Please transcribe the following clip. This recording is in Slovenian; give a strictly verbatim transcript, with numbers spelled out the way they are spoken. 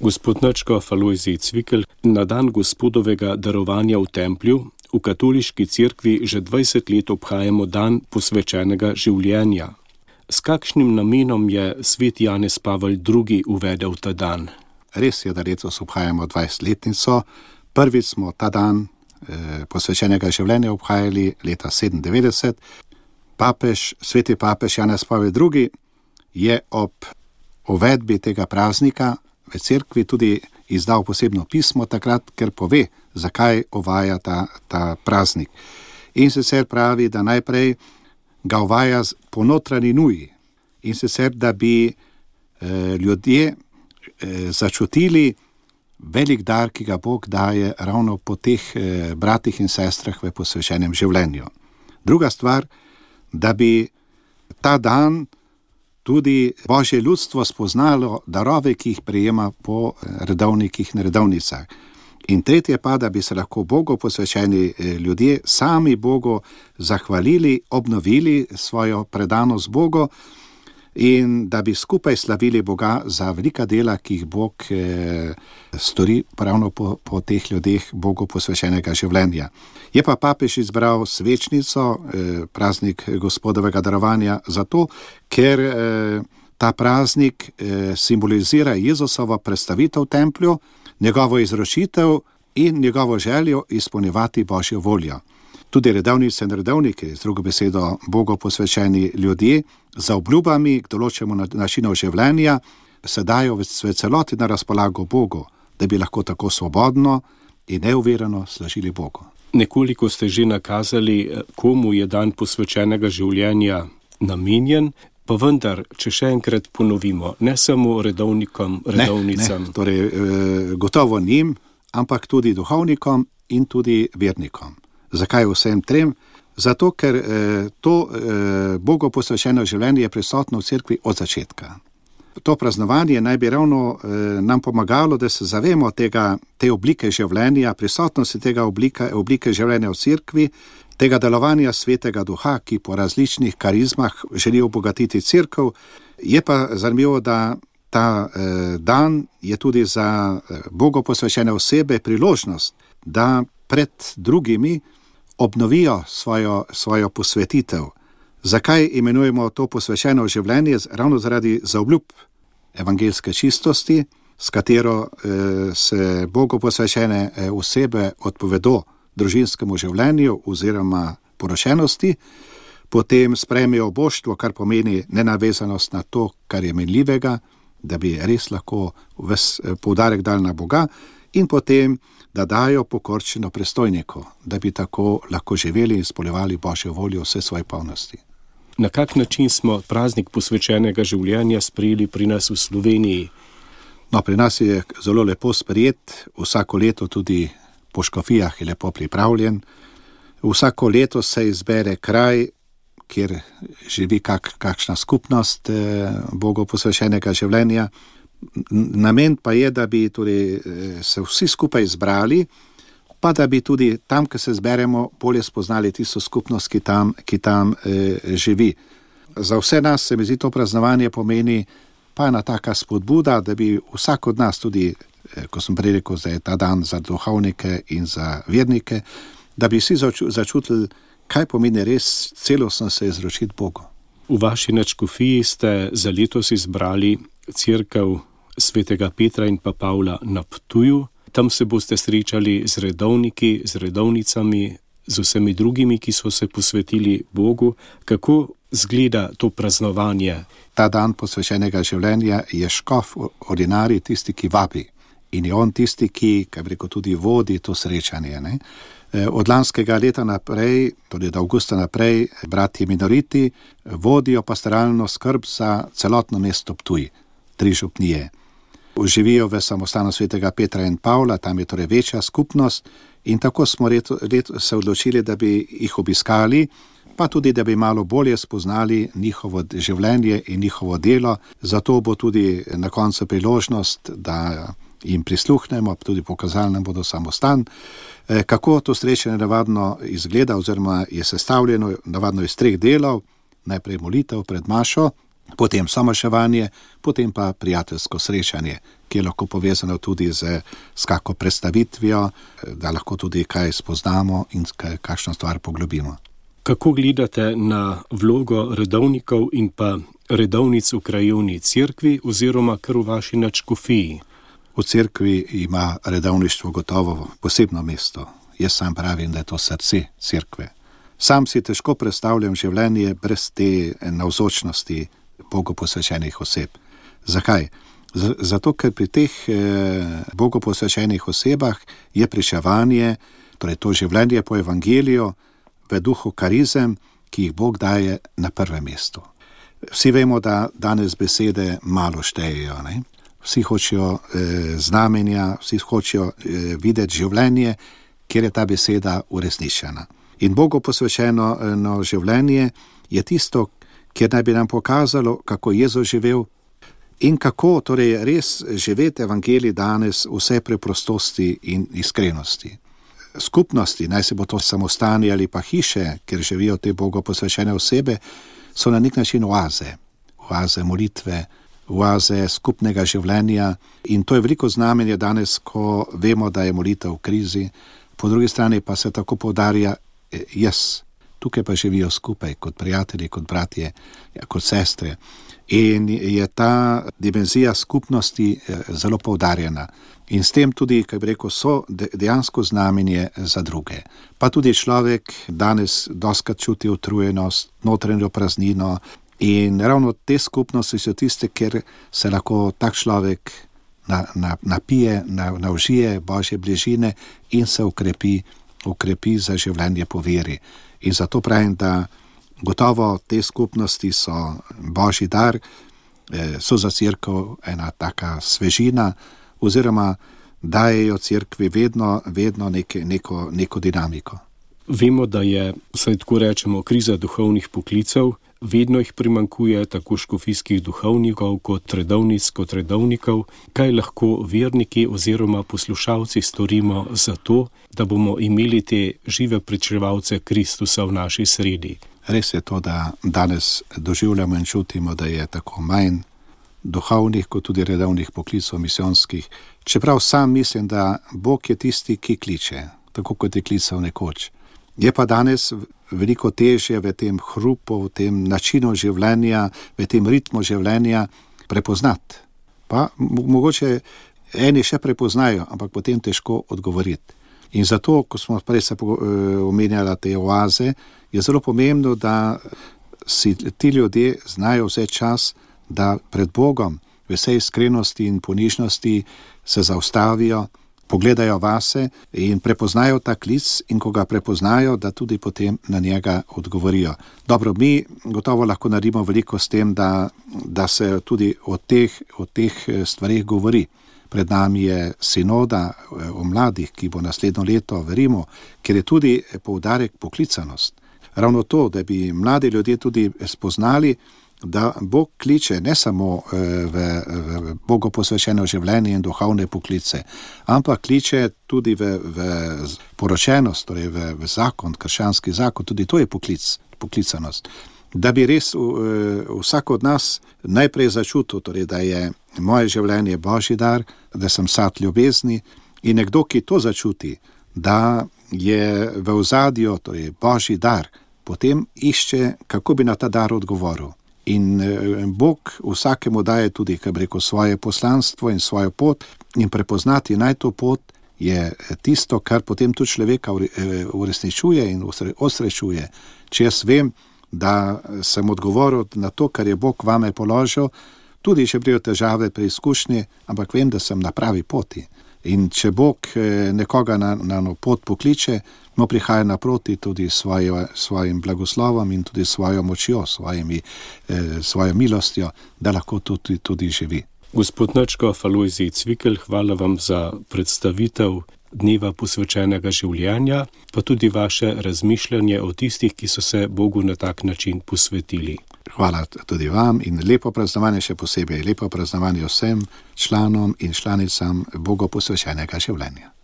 Gospod Načkof Alojzij Cvikl, na dan Gospodovega darovanja v templju v katoliški cerkvi že dvajset let obhajamo dan posvečenega življenja. S kakšnim namenom je svet Janez Pavel drugi uvedel ta dan? Res je, da letos obhajamo dvajsetletnico. Prvič smo ta dan eh, posvečenega življenja obhajali leta sedemindevetdeset. Papež, sveti papež Janez Pavel drugi je ob uvedbi tega praznika v cerkvi tudi izdal posebno pismo takrat, ker pove, zakaj uvaja ta, ta praznik. In sicer pravi, da najprej ga uvaja po notranji nuji. In sicer, da bi eh, ljudje eh, začutili velik dar, ki ga Bog daje ravno po teh eh, bratih in sestrah v posvečenem življenju. Druga stvar, da bi ta dan tudi Božje ljudstvo spoznalo darove, ki jih prejema po redovnikih in redovnicah. In tretje pa, da bi se lahko Bogu posvečeni ljudje sami Bogu zahvalili, obnovili svojo predanost Bogu in da bi skupaj slavili Boga za velika dela, ki jih Bog eh, stori ravno po, po teh ljudeh Bogu posvečenega življenja. Je pa papež izbral svečnico, eh, praznik Gospodovega darovanja, zato, ker eh, ta praznik eh, simbolizira Jezusovo predstavitev v templju, njegovo izročitev in njegovo željo izpolnjevati Božjo voljo. Tudi redovnice in redovniki, z drugo besedo Bogu posvečeni ljudje, za obljubami k določenemu načinu življenja se dajo v celoti na razpolago Bogu, da bi lahko tako svobodno in neuvirano služili Bogu. Nekoliko ste že nakazali, komu je dan posvečenega življenja namenjen, pa vendar, če še enkrat ponovimo, ne samo redovnikom, redovnicam. Ne, ne, torej e, gotovo njim, ampak tudi duhovnikom in tudi vernikom. Zakaj vsem trem? Zato, ker eh, to eh, Bogu posvečeno življenje je prisotno v cerkvi od začetka. To praznovanje naj bi ravno eh, nam pomagalo, da se zavemo tega, te oblike življenja, prisotnosti tega oblike, oblike življenja v cerkvi, tega delovanja svetega duha, ki po različnih karizmah želi obogatiti cerkev. Je pa zanimivo, da ta eh, dan je tudi za eh, Bogu posvečene osebe priložnost, da pred drugimi obnovijo svojo, svojo posvetitev. Zakaj imenujemo to posvečeno življenje? Ravno zaradi zaobljub evangelske čistosti, s katero eh, se Bogu posvečene eh, osebe odpovedo družinskemu življenju oziroma porošenosti, potem sprejmejo boštvo, kar pomeni nenavezanost na to, kar je minljivega, da bi res lahko ves poudarek dali na Boga, in potem da dajo pokorčeno prestojniku, da bi tako lahko živeli in izpolnjevali Božjo voljo vse svoje polnosti. Na kak način smo praznik posvečenega življenja sprejeli pri nas v Sloveniji? No, pri nas je zelo lepo sprejet, vsako leto tudi po škofijah je lepo pripravljen. Vsako leto se izbere kraj, kjer živi kak, kakšna skupnost eh, Bogu posvečenega življenja. Namen pa je, da bi torej se vsi skupaj zbrali, pa da bi tudi tam, ko se zberemo, bolje spoznali tisto skupnost, ki tam, ki tam e, živi. Za vse nas se mi zdi to praznovanje pomeni pa ena taka spodbuda, da bi vsak od nas tudi, e, ko sem prej rekel, da je ta dan za duhovnike in za vernike, da bi vsi začutili, kaj pomeni res celostno se izročiti Bogu. V vaši nadškofiji ste za letos izbrali cerkev svetega Petra in pa Pavla na Ptuju. Tam se boste srečali z redovniki, z redovnicami, z vsemi drugimi, ki so se posvetili Bogu. Kako zgleda to praznovanje? Ta dan posvečenega življenja je škof ordinarij, tisti, ki vabi. In je on tisti, ki, kaj bi rekel, tudi vodi to srečanje. Ne? Od lanskega leta naprej, tudi od avgusta naprej, bratje minoriti vodijo pastoralno skrb za celotno mesto Ptuj, tri župnije. Živijo v samostanu svetega Petra in Pavla, tam je torej večja skupnost in tako smo leto, leto se odločili, da bi jih obiskali, pa tudi, da bi malo bolje spoznali njihovo življenje in njihovo delo. Zato bo tudi na koncu priložnost, da jim prisluhnemo, tudi pokazali nam bodo samostan. Kako to srečanje navadno izgleda oziroma je sestavljeno navadno iz treh delov, najprej molitev pred mašo, potem samoševanje, potem pa prijateljsko srečanje, ki je lahko povezano tudi z, z kako predstavitvijo, da lahko tudi kaj spoznamo in kakšno stvar poglobimo. Kako gledate na vlogo redovnikov in pa redovnic v krajevni cerkvi oziroma kar v vaši nadškofiji? V cerkvi ima redovništvo gotovo posebno mesto. Jaz sam pravim, da je to srce cerkve. Sam si težko predstavljam življenje brez te navzočnosti Bogu posvečenih oseb. Zakaj? Z- zato, ker pri teh eh, Bogu posvečenih osebah je pričevanje, torej to življenje po evangeliju, v duhu karizem, ki jih Bog daje na prvem mestu. Vsi vemo, da danes besede malo štejejo, ne? Vsi hočejo eh, znamenja, vsi hočejo eh, videti življenje, kjer je ta beseda uresničena. In Bogu posvečeno no, življenje je tisto, kjer naj bi nam pokazalo, kako je Jezus živel in kako torej res živeti evangelij danes vse preprostosti in iskrenosti. Skupnosti, naj se bo to samostani ali pa hiše, kjer živijo te Bogu posvečene osebe, so na nek način oaze, oaze molitve, oaze skupnega življenja in to je veliko znamenje danes, ko vemo, da je molitev v krizi, po drugi strani pa se tako poudarja jaz. Tukaj pa živijo skupaj, kot prijatelji, kot bratje, kot sestre. In je ta dimenzija skupnosti zelo poudarjena. In s tem tudi, kaj bi rekel, so dejansko znamenje za druge. Pa tudi človek danes doskrat čuti utrujenost, notranjo praznino in ravno te skupnosti so tiste, kjer se lahko tak človek na, na, napije, na, naužije Božje bližine in se ukrepi, ukrepi za življenje po veri. In zato pravim, da gotovo te skupnosti so Božji dar, so za cerkev ena taka svežina oziroma dajejo cerkvi vedno, vedno neke, neko, neko dinamiko. Vemo, da je, saj tako rečemo, kriza duhovnih poklicev, vedno jih primanjkuje tako škofijskih duhovnikov kot redovnic kot redovnikov. Kaj lahko verniki oziroma poslušalci storimo za to, da bomo imeli te žive pričevalce Kristusa v naši sredi? Res je to, da danes doživljamo in čutimo, da je tako manj duhovnih kot tudi redovnih poklicov misijonskih. Čeprav sam mislim, da Bog je tisti, ki kliče, tako kot je klical nekoč. Je pa danes veliko težje v tem hrupu, v tem načinu življenja, v tem ritmu življenja prepoznati. Pa mogoče eni še prepoznajo, ampak potem težko odgovoriti. In zato, ko smo prej se omenjali te oaze, je zelo pomembno, da si ti ljudje znajo vzeti čas, da pred Bogom v vsej iskrenosti in ponižnosti se zaustavijo, pogledajo vase in prepoznajo ta klic in ko ga prepoznajo, da tudi potem na njega odgovorijo. Dobro, mi gotovo lahko naredimo veliko s tem, da, da se tudi o teh, o teh stvarih govori. Pred nami je sinoda o mladih, ki bo naslednjo leto, verimo, ker je tudi poudarek poklicanost. Ravno to, da bi mladi ljudje tudi spoznali, da Bog kliče ne samo v, v Bogu posvečeno življenje in duhovne poklice, ampak kliče tudi v, v poročenost, torej v, v zakon, krščanski zakon, tudi to je poklic, poklicanost. Da bi res vsak od nas najprej začutil, torej, da je moje življenje Božji dar, da sem sad ljubezni in nekdo, ki to začuti, da je v ozadju, torej Božji dar, potem išče, kako bi na ta dar odgovoril. In Bog vsakemu daje tudi, kaj bi rekel, svoje poslanstvo in svojo pot in prepoznati naj to pot je tisto, kar potem tudi človeka uresničuje in osrečuje. Če jaz vem, da sem odgovoril na to, kar je Bog vame položil, tudi če prijo težave pri izkušnji, ampak vem, da sem na pravi poti. In če Bog nekoga na, na pot pokliče, mu prihaja naproti tudi svojo, svojim blagoslovom in tudi svojo močjo, svojimi, eh, svojo milostjo, da lahko tudi, tudi živi. Gospod nadškof Alojzij Cvikl, hvala vam za predstavitev dneva posvečenega življenja, pa tudi vaše razmišljanje o tistih, ki so se Bogu na tak način posvetili. Hvala tudi vam in lepo praznovanje še posebej, lepo praznovanje vsem članom in članicam Bogu posvečenega življenja.